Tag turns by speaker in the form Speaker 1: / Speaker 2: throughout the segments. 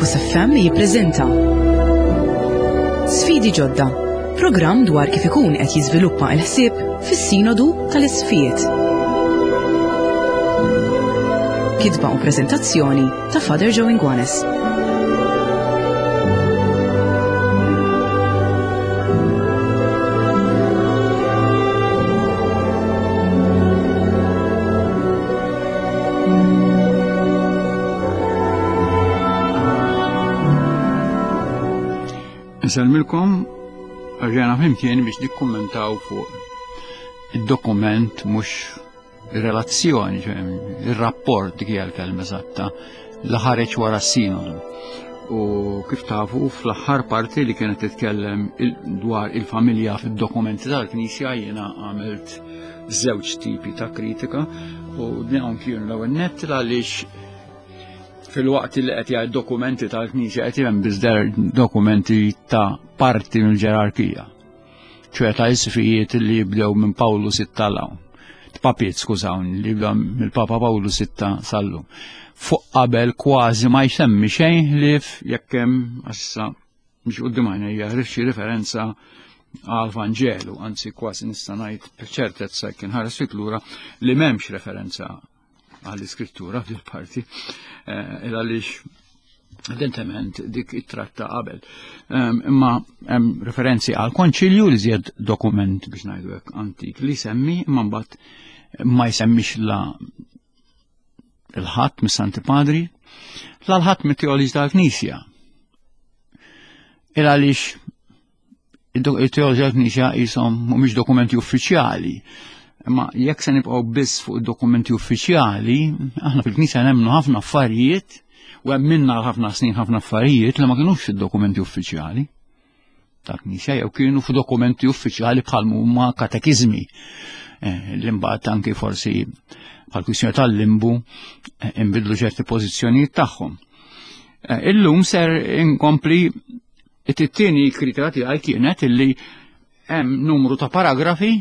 Speaker 1: Fokus FM jippreżenta Sfidi ġodda, programm dwar kif ikun qed jiżviluppa l-ħsieb fis-Sinodu tal-Isqfijiet. Kitba u preżentazzjoni ta' Father Joe Inguanes.
Speaker 2: Nsellmilkom rġajna flimkien biex nikkummentaw fuq id-dokument mhux ir-relazzjoni, ir-rapport dik hija l-kelma eżatta li ħareġ wara s-sinodu. U kif tafu fl-aħħar parti li kienet titkellem dwar il-familja fid-dokumenti tal-Knisja jiena għamilt żewġ tipi ta' kritika u dawn kienu l-ewwel nett għaliex fil-waqt li qed jgħid dokumenti tal-Knisja qed hemm biss dokumenti ta' parti mill-ġerarkija. ċoe ta' isfijiet li jibdew minn Pawlu sitta l Papiet, skużawni, li jibdew mill-Papa Pawlu sitta sallu. Fuq qabel kważi ma jsemmi xejn ħlief jekk hemm issa biex quddiem għajnejja ħriġ xi referenza għal Vanġelu, anzi kważi nista' ngħid b'ċertezza kien ħares fit lura li m'hemmx referenza għall-iskrittura fil-parti eh, il għaliex evidentement dik it-tratta qabel. Ehm, imma hemm referenzi għal konċilju li żjed dokument biex ngħidu hekk antik li semmi imma mbagħad ma jsemmix la il-ħadd mis-Santi Padri, la l-ħadd mit-teoloġi tal-Knisja. Il għaliex il-teoloġi tal-Knisja jisom mhumiex dokumenti uffiċjali. Imma jekk se nibqgħu biss fuq id-dokumenti uffiċjali, aħna fil-Knisja nemmnu ħafna affarijiet u hemm minna ħafna snin ħafna affarijiet li ma kinux fid-dokumenti uffiċjali. tal-Knisja jew kienu f'dokumenti uffiċjali bħal huma katekiżmi eh, li mbagħad anki forsi bħal kwistjoni tal-limbu eh, inbidlu ċerti pożizzjonijiet tagħhom. Eh, illum ser inkompli it-tieni kritika tiegħi kienet illi hemm numru ta' paragrafi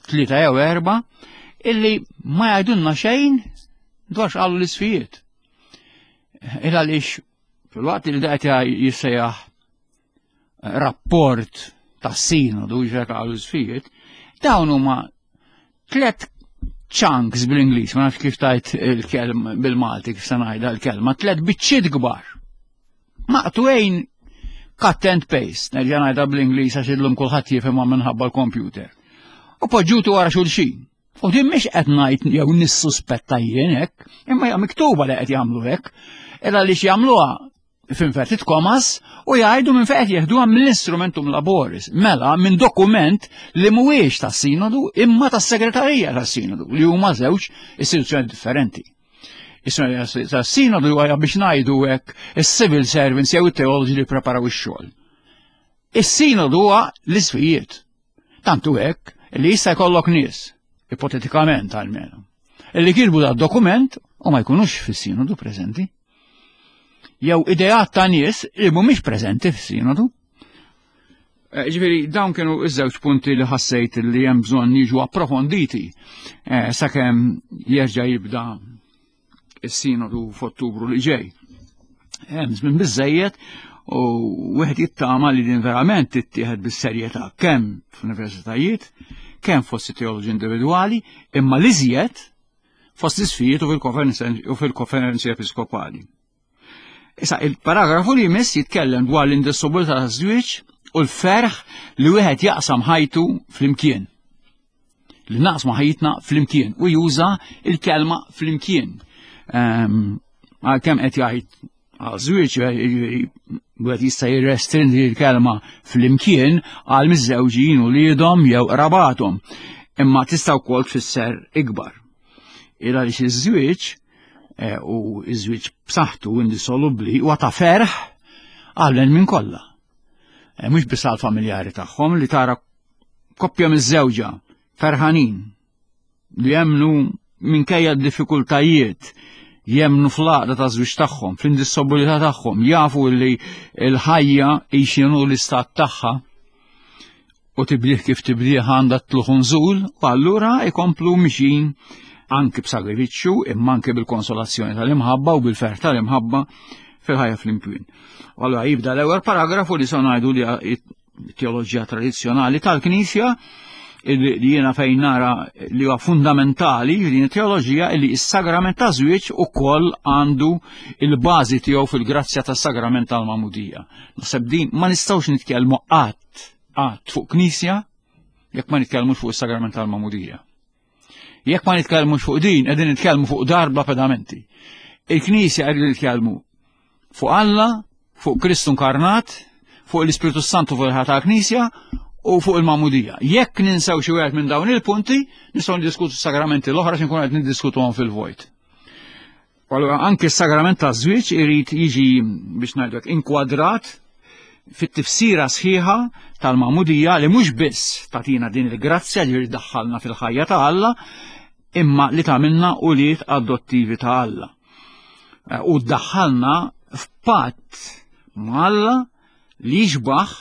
Speaker 2: tlieta jew erba' illi ma jgħidulna xejn dwar x'qalu l-isfijiet. Il għaliex fil-waqt li daqt jissejjaħ rapport tas-sinodu ġek għal sfijiet, dawn huma tlet chunks bl-Ingliż, ma nafx kif tajt il-kelma bil-Malti kif se ngħidha l-kelma, tlet biċċiet kbar. Maqtwejn cut and paste, nerġa' ngħidha bl-Ingliż għax illum kulħadd jifhimha minħabba l-computer. U poġġutu wara xulxin. U din mhix qed ngħid jew nissuspetta jien hekk, imma hija miktuba li qed jagħmlu hekk. Illa li jagħmluha f'inverted commas u jgħidu minn fejn qed jeħduha mill-instrumentum laboris, mela minn dokument li mhuwiex tas-sinodu imma tas-segretarija tas-sinodu li huma żewġ istituzzjoni differenti. Is-segretarija tas-sinodu huwa biex ngħidu hekk is-civil servants jew it-teoloġi li preparaw ix-xogħol. Is-sinodu huwa l-isfijiet. Tantu hekk li jista' jkollok nies, ipotetikament almenu, li kirbu da dokument u ma jkunux fis-sinodu preżenti. Jew ideat ta' nies li mhumiex preżenti fis-sinodu. Eh, ġifieri dawn kienu iż-żewġ punti li ħassejt li hemm bżonn jiġu approfonditi eh, sakemm jerġa' jibda is-sinodu f'Ottubru li ġej. Hemm żmien biżejjed u wieħed jittama li din verament tittieħed bis-serjetà kemm fl-universitajiet, kemm fost teoloġi individwali, imma li żjed fost l-isfijiet u fil-konferenzi episkopali. Issa il-paragrafu li jmiss jitkellem dwar l-indissolubilità taż-żwieġ u l-ferħ li wieħed jaqsam ħajtu flimkien. Li naqsmu ħajjitna flimkien u juża il-kelma flimkien. Ehm, għalkemm qed jgħid għal-żwieġ wieħed jista' jirrestringi l-kelma flimkien għal miżżewġin u liedhom jew qrabathom. Imma tista' wkoll tfisser ikbar. Il għaliex iż-żwieġ eh, u iż-żwieġ b'saħħtu indissolubbli huwa ta' ferħ għal minn kollha. Eh, mhux biss għal familjari tagħhom li tara koppja miż-żewġa ferħanin li jemnu minkejja d-diffikultajiet jemnu fl-għaqda ta' żwieġ tagħhom, fl-indissobilità tagħhom, jafu li l-ħajja x'inhu l-istat tagħha u tibdih kif tibdih għandha tlugħ nżul u allura ikomplu mixin anki b'sagrifiċċju imma anki bil-konsolazzjoni tal-imħabba u bil-ferħ tal-imħabba. fil-ħajja flimkien. U allura jibda l-ewwel paragrafu li se ngħidu li teoloġija tradizzjonali tal-Knisja li jiena fejn nara li huwa fundamentali din it-teoloġija li s-sagrament ta' żwieġ ukoll għandu il-bażi tiegħu fil-grazzja tas-sagrament tal-magħmudija. Naħseb din ma nistgħux nitkellmu qatt qatt fuq Knisja jekk ma nitkellmux fuq is-sagrament tal-magħmudija. Jekk ma nitkellmux fuq din, qegħdin nitkellmu fuq darba pedamenti. Il-Knisja qegħdin nitkellmu fuq Alla, fuq Kristu inkarnat, fuq l-Ispirtu Santu fuq il-ħata tal-Knisja u fuq il-Magħmudija. Jekk ninsew xi wieħed minn dawn il-punti, nistgħu niddiskutu s-sagramenti l-oħra xi nkunu qed niddiskutuhom fil-vojt. Allura anke s-sagrament ta' żwieġ irid jiġi biex ngħidlek inkwadrat fit-tifsira sħiħa tal-magħmudija li mhux biss tagħtina din il-grazzja li daħħalna fil-ħajja ta' Alla, imma li tagħmilna ulied adottivi ta' Alla. Eh, u ddaħħalna f'patt ma' Alla li jixbaħ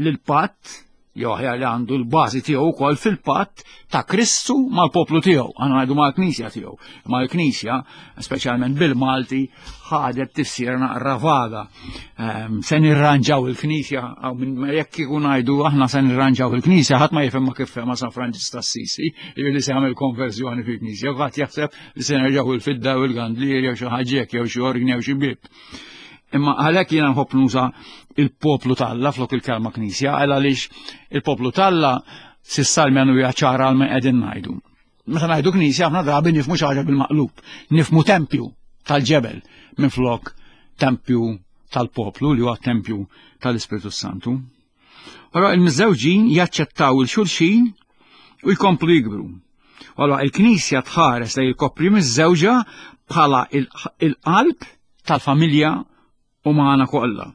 Speaker 2: lill-patt jew aħjar li għandu l-bażi tiegħu wkoll fil-patt ta' Kristu mal-poplu tiegħu, għandna ngħidu mal-Knisja tiegħu. Ma l-Knisja, speċjalment bil-Malti, ħadet tifsira naqra vaga. Ehm, se nirranġaw il-Knisja, jekk kieku ngħidu aħna se nirranġaw il-Knisja, ħadd ma jifhem ma kif fehma San Franġis t'Assisi, li se jagħmel konverżjoni fil-Knisja, ħadd jaħseb li se nerġgħu il-fidda u l-gandlier jew xi ħaġa jew xi orgni jew xi bib. Imma għalhekk jiena nħobb nuża il-poplu t'Alla flok il-kelma knisja, għal għaliex il-poplu t'Alla sissa l-menu hija ċara għal qegħdin ngħidu. Meta ngħidu knisja aħna drabi nifmu xi ħaġa bil-maqlub, nifmu tempju tal-ġebel minn flok tempju tal-poplu li huwa tempju tal-Ispirtu Santu. Allora il-miżżewġin jaċċettaw il-xulxin u jkomplu jikbru. Allora il-Knisja tħares lejn il-koppri miżżewġa bħala il-qalb tal-familja umana kollha.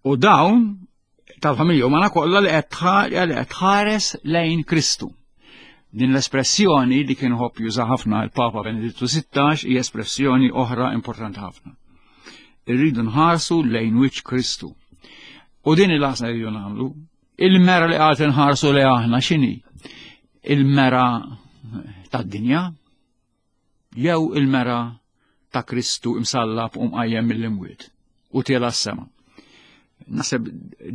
Speaker 2: U dawn tal-familja umana kollha li qed tħares lejn Kristu. Din l-espressjoni li kien ħobb juża ħafna il-Papa Benedittu 16 hija espressjoni oħra importanti ħafna. Irridu nħarsu lejn wiċċ Kristu. U din il-għażla rridu nagħmlu. Il-mera li qagħad inħarsu li aħna x'inhi? Il-mera tad-dinja jew il-mera ta' Kristu imsallab u mqajjem mill-imwiet u tiela s-sema. Naseb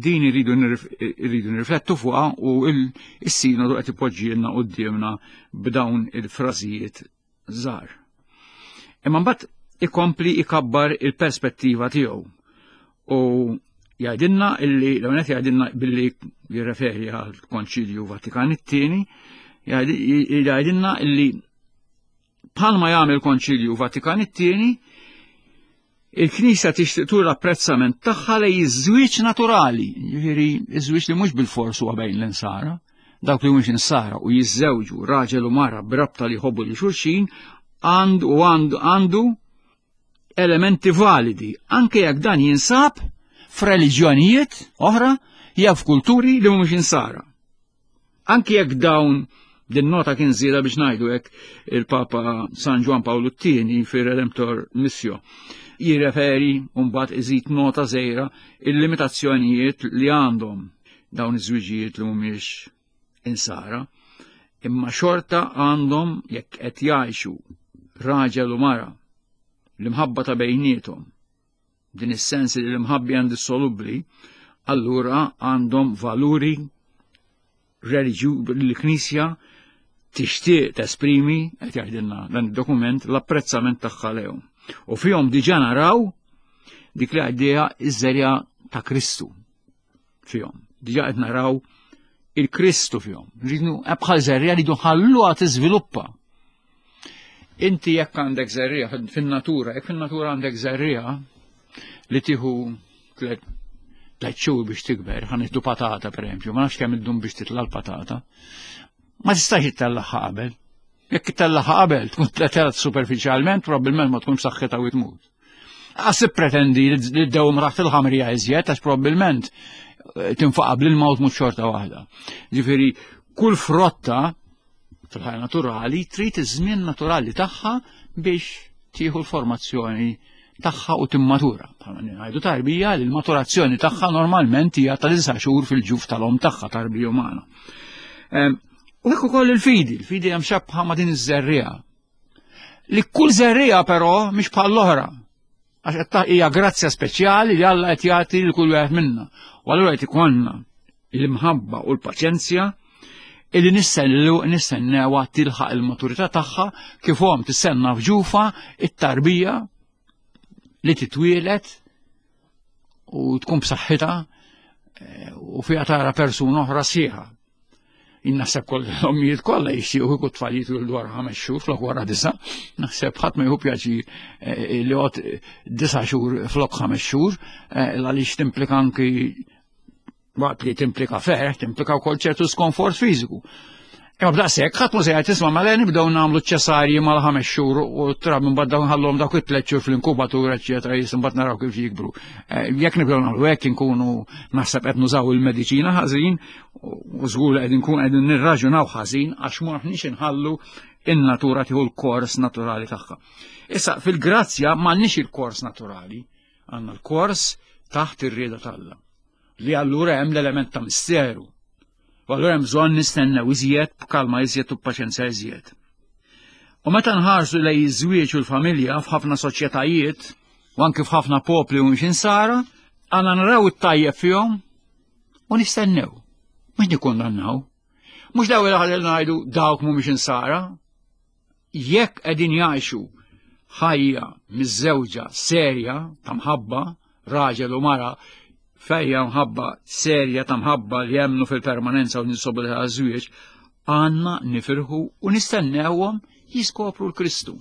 Speaker 2: din irridu nirriflettu fuqha u il-sinodu qed ipoġġielna qudiemna b'dawn il-frażijiet żgħar. Imma mbagħad ikompli ikabbar il-perspettiva tiegħu u jgħidilna illi l qed jgħidilna billi jirreferi għal Konċilju Vatikan it-tieni jgħidilna illi bħalma jagħmel Konċilju Vatikan it-tieni Il-Knisja tixtieq tur l-apprezzament tagħha lej iż-żwieġ naturali, jiġifieri iż-żwieġ li mhux bil-fors huwa bejn l-insara, dawk li mhux insara u jiżżewġu raġel u mara b'rabta li jħobbu li xulxin għandu u għandu għandu elementi validi, anke jekk dan jinsab f'reliġjonijiet oħra jew f'kulturi li mhumiex insara. Anki jekk dawn din nota kien żieda biex ngħidu hekk il-Papa San Ġwan Pawlu t-tieni fir-Redemptor Missio jirreferi u mbagħad iżid nota żgħira il-limitazzjonijiet li għandhom dawn iż-żwiġijiet li mhumiex insara, imma xorta għandhom jekk qed jgħixu raġel u mara l-imħabba ta' bejniethom din is-sens li l-imħabbi għandi solubbli, allura għandhom valuri reliġju li l-Knisja tixtieq tesprimi qed jgħidilna dan id-dokument l-apprezzament tagħha lehom. U fihom diġà naraw dik li għaddejja iż-żerja ta' Kristu fihom. Diġà qed naraw il-Kristu fihom. Rridu eh, bħal żerja li ħalluha tiżviluppa. Inti jekk għandek żerriegħa fin-natura, jekk fin-natura għandek żerriegħa li tieħu tliet xhur biex tikber, ħa nieħdu patata pereżempju, ma nafx kemm iddum biex titla' l-patata. Ma tistax ittellagħha qabel. Jekk ittellagħha qabel tkun tletelat superfiċjalment, probabbilment ma tkun b'saħħitha u tmut. Għas pretendi li d-dewm raħt il-ħamrija iżjed, għax probabbilment eh, tinfaqa bl-ilma u tmut xorta waħda. Ġifieri, kull frotta fil-ħajja naturali trid iż-żmien naturali tagħha biex tieħu l-formazzjoni tagħha u timmatura. Bħalma ngħidu tarbija li l-maturazzjoni tagħha normalment hija ta' disa' xhur fil-ġuf tal-om tagħha tarbija umana. Ehm, u hekk ukoll il-fidi, il-fidi hemm xabħa ma' din iż-żerriegħa. Li kull żerriegħa però mhix bħal l-oħra. Għax qed hija grazzja speċjali li Alla qed jagħti lil kull wieħed minna. U allura qed ikollna l-imħabba u l-paċenzja illi nistennu nistennewha tilħaq il-maturità tagħha kif hom tistenna f'ġufa it-tarbija li titwielet u tkun b'saħħitha eh, u fiha tara persuna oħra sħiħa. Naħseb koll l-ommijiet kollha jixtiequ kieku tfal jitwildu wara ħames xhur flok wara disa'. Naħseb ħadd ma jieħu pjaċir eh, li għod disa' xhur flok ħames xhur eh, għaliex timplika anki waqt li timplika ferħ, timplika wkoll ċertu skonfort fiżiku. Imma b'daqshekk ħadd ma se jgħid isma' mela nibdew nagħmlu ċesarji mal-ħames xhur u trab minn dawn ħallhom dawk it-tliet xhur fl-inkubatur eċċetera jisim mbagħad naraw kif jikbru. Eh, jekk nibdew nagħmlu hekk inkunu naħseb qed nużaw il-mediċina ħażin u żgur qed inkun qegħdin nirraġunaw ħażin għax ma aħniex inħallu in-natura tieħu l-kors naturali tagħha. Issa fil-grazzja m'għandniex il-kors naturali, għandna l-kors taħt ir-rieda t'Alla. Li allura hemm l-element ta' misteru. U allura hemm bżonn nistennew iżjed b'kalma iżjed u b'paċenzja iżjed. U meta nħarsu lej iż-żwieġ u l-familja f'ħafna soċjetajiet u anke f'ħafna popli u mhux insara, għandna naraw it-tajjeb fihom u nistennew. Mhux nikkundannaw. Mhux daw il ngħidu dawk mhumiex insara. Jekk qegħdin jgħixu ħajja miżżewġa serja ta' mħabba, raġel u mara fejja mħabba serja ta' mħabba li jemmnu fil-permanenza u ninsobu li żwieġ, għandna nifirħu u nistennewhom jiskopru l-Kristu.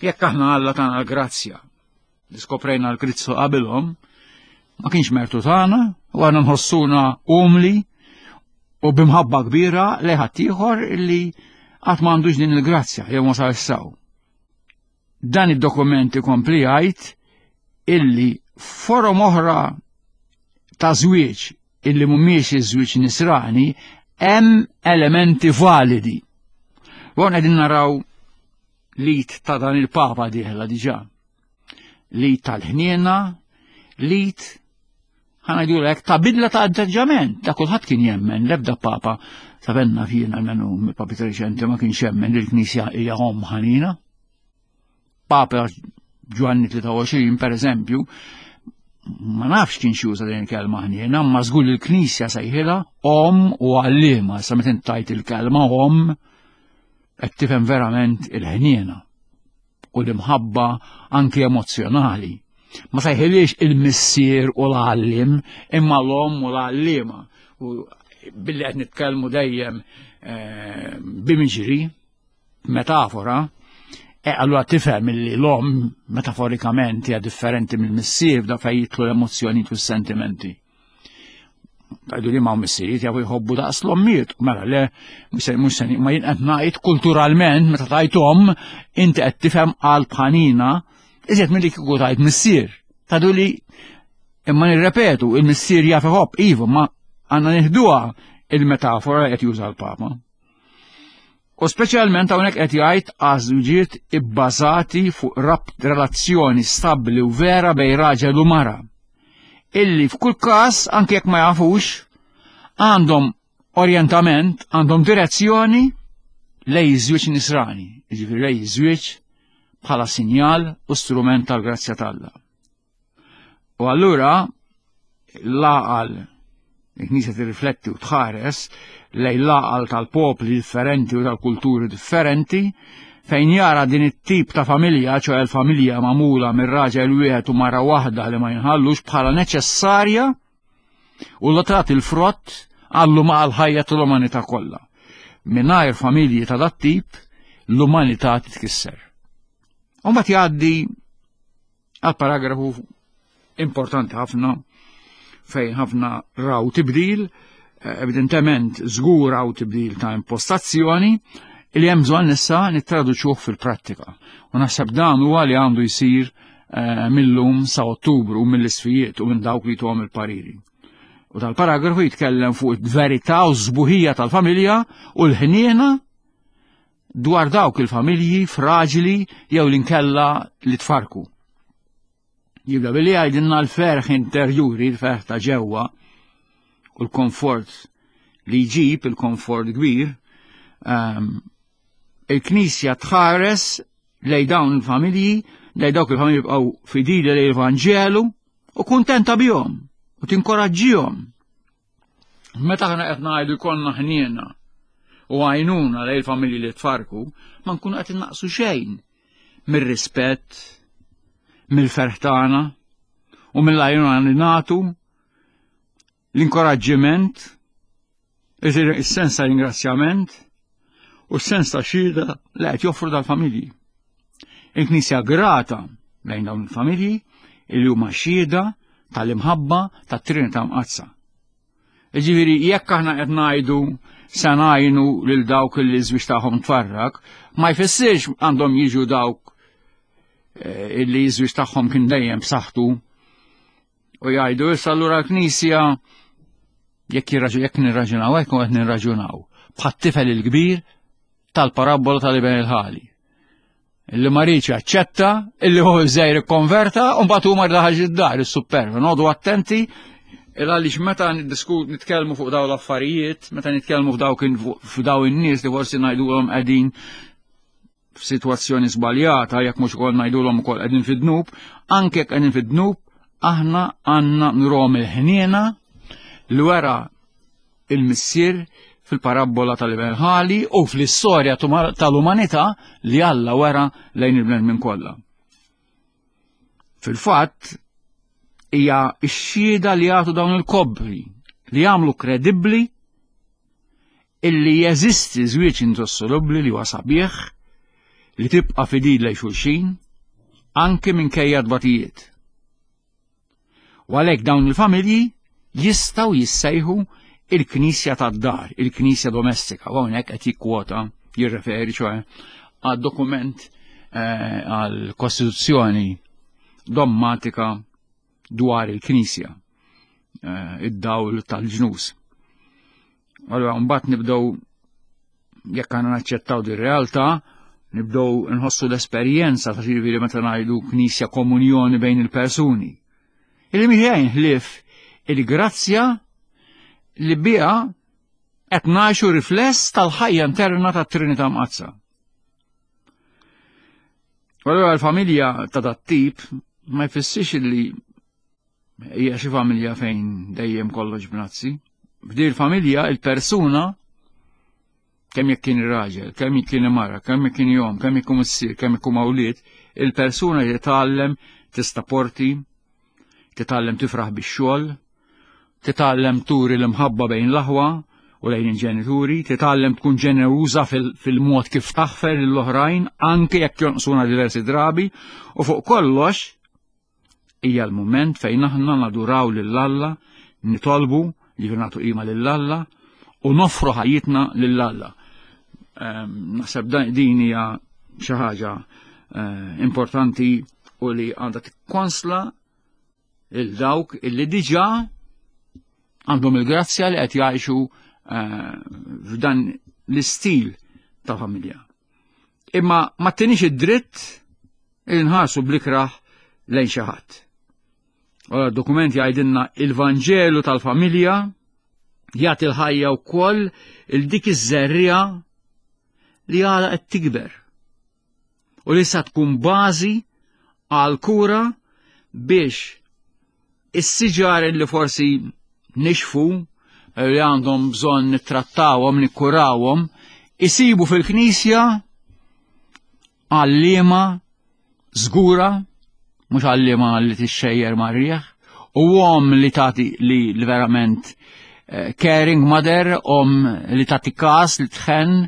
Speaker 2: Jekk aħna Alla tagħna l-grazzja li skoprejna l-Kristu qabilhom, ma kienx mertu tagħna u għandna nħossuna umli u bimħabba kbira li ħaddieħor li qatt m'għandux din il-grazzja jew ma sar saw. Dan id-dokument ikompli jgħid illi forom oħra ta' żwieġ illi mhumiex iż-żwieġ nisrani hemm elementi validi. U qegħdin naraw lit ta' dan il-Papa dieħla diġà. Lit tal-ħniena, lit ħanajdu lek ta' bidla ta' atteġġament, ta' kulħadd kien jemmen, l-ebda Papa sabenna fjien għalmenu mill-papi reċenti ma kienx jemmen li l-Knisja hija omm ħanina. Papa Ġwanni 23 per eżempju, ma nafx kien juża din il-kelma ħniena, ma żgur il-Knisja sejħilha om u għalliema, sa meta tajt il-kelma om qed tifhem verament il-ħniena u l-imħabba anki emozzjonali. Ma sejħilix il-missier u l-għallim, imma l-om u l-għallima. U billi qed nitkellmu dejjem eh, bimiġri, metafora, e allura tifhem li l-om metaforikament hija differenti mill-missier da fejn jitlu l-emozzjoni u s-sentimenti. Għajdu li ma' missirijiet jafu jħobbu daqs l-ommijiet, mela le, mux ma jien qed ngħid kulturalment meta tajt om, inti qed tifhem qalb ħanina, iżjed milli kieku tajt missier. Tadu li imma nirrepetu, il-missier jaf iħobb, iva, ma għandna nieħduha il-metafora qed juża l-Papa. U speċjalment hawnhekk qed jgħid għażwiġiet ibbażati fuq rabt relazzjoni stabbli u vera bej raġel u mara. Illi f'kull każ anke jekk ma jafux għandhom orjentament, għandhom direzzjoni lej iż-żwieġ nisrani, jiġifieri lej iż-żwieġ bħala sinjal u strument tal-grazzja t'Alla. U allura l-għaqal il-Knisja tirrifletti u tħares lejn l-għaqal tal-popli differenti u tal-kulturi differenti fejn jara din it-tip ta' familja, ċoħe l-familja magħmula minn raġel wieħed u mara waħda li ma jinħallux bħala neċessarja u la tagħti l-frott għallu ma' l-ħajja tal-umanità kollha. Mingħajr familji ta' dat-tip, l-umanità titkisser. U mbagħad jgħaddi għal paragrafu importanti ħafna fejn ħafna raw tibdil, eh, evidentement żgur raw tibdil ta' impostazzjoni li hemm bżonn issa nittraduċuh fil-prattika. U naħseb dan huwa li għandu jsir eh, mill-lum sa Ottubru mill-isfijiet u minn dawk li tuhom il-pariri. U tal-paragrafu jitkellem fuq il-verità u z-zbuħija tal-familja u l-ħniena dwar dawk il-familji fraġili jew l-inkella li tfarku. Jibda billi jgħidilna l-ferħ interjuri, l-ferħ ta' ġewwa u l-komfort li jġib il-komfort kbir, ehm, il-Knisja tħares lej dawn il-familji lejn dawk il-familji jibqgħu fidili lejn il-Vanġelu u kuntenta bihom u tinkoraġġihom. Meta aħna qed ngħidu jkollna ħniena u għajnuna lejn il-familji li tfarku, ma nkunu qed innaqsu xejn mir-rispett, mill-ferħ tagħna u mill-għajnuna li nagħtu l-inkoraġġiment, is-sens ta' ringrazzjament u s-sens ta' xhieda li qed joffru dal-familji. Il-Knisja grata lejn dawn il-familji li huma xhieda tal-imħabba tat-Trinità Mqaddsa. Ġifieri jekk aħna qed ngħidu se ngħinu lil dawk li żwieġ tagħhom tfarrak, ma jfissirx għandhom jiġu dawk eh, illi żwieġ tagħhom kien dejjem b'saħħtu U jgħidu issa allura l-Knisja jekk jekk nirraġunaw hekk qed nirraġunaw bħat-tifel il-kbir tal-parabbola tal-iben il-ħali. Illi ma rridx jaċċetta, illi hu żgħir ikkonverta, u mbagħad huma daħal id-dar is-superva. Nodu attenti il għaliex meta nitkellmu fuq dawn l-affarijiet, meta nitkellmu f'daw in-nies li forsi ngħidulhom qegħdin f'sitwazzjoni żbaljata, jekk mhux ukoll ngħidulhom ukoll qegħdin fid-dnub, anke jekk qegħdin fid-dnub, aħna għandna nrom il-ħniena li wera il-missier fil-parabbola tal-iben ħali u fl-istorja tal-umanità li Alla wera lejn il-bnedmin kollha. Fil-fatt, hija x-xhieda li jagħtu dawn il-kobbri li jagħmlu kredibbli illi jeżisti żwieġ indossolubbli li huwa sabiħ li tibqa' fidil lejn xulxin anke minkejja tbatijiet. U għalhekk dawn il-familji jistgħu jissejħu il-knisja tad-dar, il-knisja domestika, u hawnhekk qed jikkwota, jirreferi ċoe għad dokument eh, għal kostituzzjoni dommatika dwar il-Knisja, eh, id-dawl tal-ġnus. Allora, mbagħad nibdew jekk għandna naċċettaw di realtà, nibdew nħossu l-esperjenza ta' ġifieri meta ngħidu Knisja komunjoni bejn il-persuni. Illi mhijajn ħlief il-grazzja li biha qed ngħixu rifless tal-ħajja interna tat-Trinità Mqaddsa. U allura l-familja ta' dat tip ma jfissirx li hija xi familja fejn dejjem kollox b'nazzi. F'di l-familja il-persuna kemm jekk kien raġel, kemm jekk kien mara, kemm jekk kien jom, kemm jekk missier, kemm jekk mawliet, il-persuna titgħallem tista' porti, titgħallem tifraħ bix-xogħol, titgħallem turi l-imħabba bejn l-aħwa u lejn il-ġenituri, titgħallem tkun ġeneruża fil-mod kif taħfer lill-oħrajn anke jekk jonqsuna diversi drabi, u fuq kollox hija l-mument fejn aħna naduraw lil Alla, nitolbu, jiġifieri nagħtu qima lil Alla u noffru ħajjitna lil Alla. Ehm, naħseb din hija xi ħaġa eh, importanti u li għandha tikkonsla il dawk illi diġà għandhom il-grazzja li qed jgħixu eh, f'dan l-istil ta' familja. Imma ma tinix id-dritt il nħarsu blikraħ lejn xi ħadd. Ora dokument jgħidilna il-Vanġelu tal-familja jagħti l-ħajja wkoll il dik iż-żerriegħa li għala qed tikber u li sa tkun bażi għal kura biex is-siġar li forsi nixfu li għandhom bżonn nittrattawhom, nikkurawhom, isibu fil-knisja għalliema żgura, mhux għalliema li tixxejjer mar-rieħ, u om li tagħti li, li verament eh, caring mother, om li tagħti kas, li tħenn,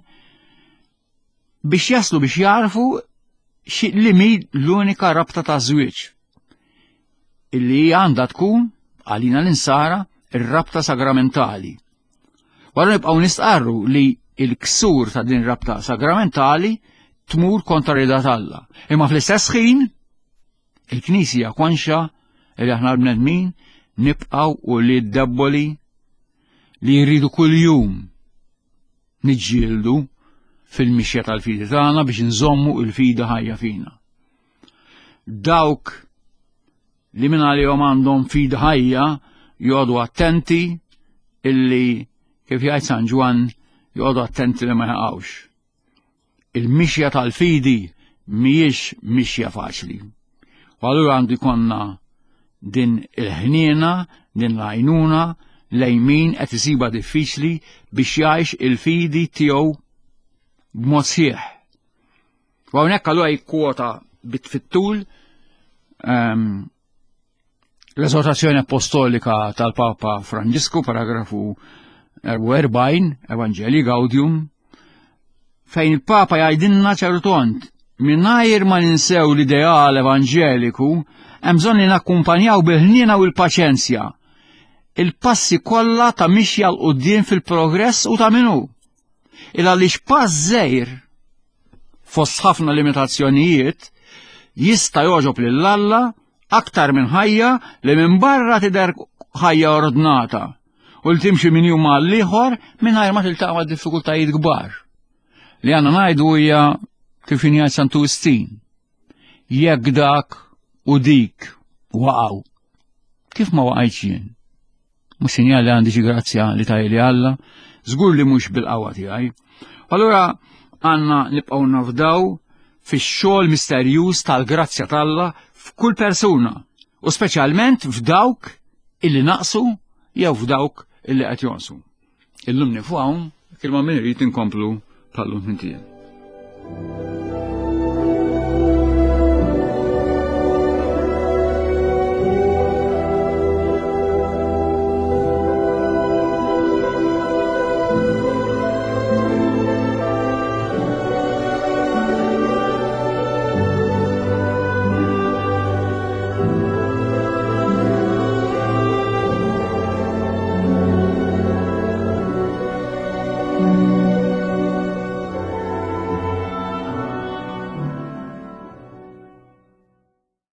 Speaker 2: biex jaslu biex jarfu li mi l-unika rabta ta' żwieġ illi għandha tkun għalina l-insara ir-rabta sagramentali. Wara nibqgħu nistqarru li il-ksur ta' din rabta sagramentali tmur kontra rida t'Alla. Imma fl-istess ħin il-Knisja konxa li aħna l-bnedmin nibqgħu u li debboli li jridu kuljum niġġieldu fil-mixja tal-fidi tagħna biex nżommu il-fidi ħajja fina. Dawk li minn għalihom għandhom fidi ħajja joqogħdu attenti illi kif jgħid San Ġwann joqogħdu attenti li ma jaqgħux. Il-mixja tal-fidi mhijiex mixja faċli. U allura għandu jkollna din il-ħniena, din l-għajnuna lejn min qed isiba diffiċli biex jgħix il-fidi tiegħu b'mod sħiħ. U hawnhekk allura jikkwota bit fit-tul ehm, l-eżortazzjoni apostolika tal-Papa Franġisku, paragrafu 44, Evangelii Gaudium, fejn il-Papa jgħidilna ċertont mingħajr ma ninsew l-ideal evanġeliku, hemm bżonn li nakkumpanjaw bil-ħniena u l-paċenzja il-passi kollha ta' mixja l quddiem fil-progress u ta' minu. Il għaliex pass żgħir fost ħafna limitazzjonijiet jista' jogħġob lil Alla aktar minn ħajja li minn barra tidher ħajja ordnata u li timxi minn jum għal ieħor mingħajr ma tiltaqa' ma' diffikultajiet kbar. Li għandna ngħidu hija kif jgħid Santu Wistin. Jekk dak u dik waqgħu. Kif ma waqajtx jien? Mhux sinjal li għandi xi grazzja li tajli Alla, żgur li mhux bil-qawwa tiegħi. Allura għandna nibqgħu nafdaw fix-xogħol misterjuż tal-grazzja t'Alla f'kull persuna u speċjalment f'dawk illi naqsu jew f'dawk illi qed jonqsu. Illum nifu hawn, kelma min irid inkomplu bħallum minn tiegħi.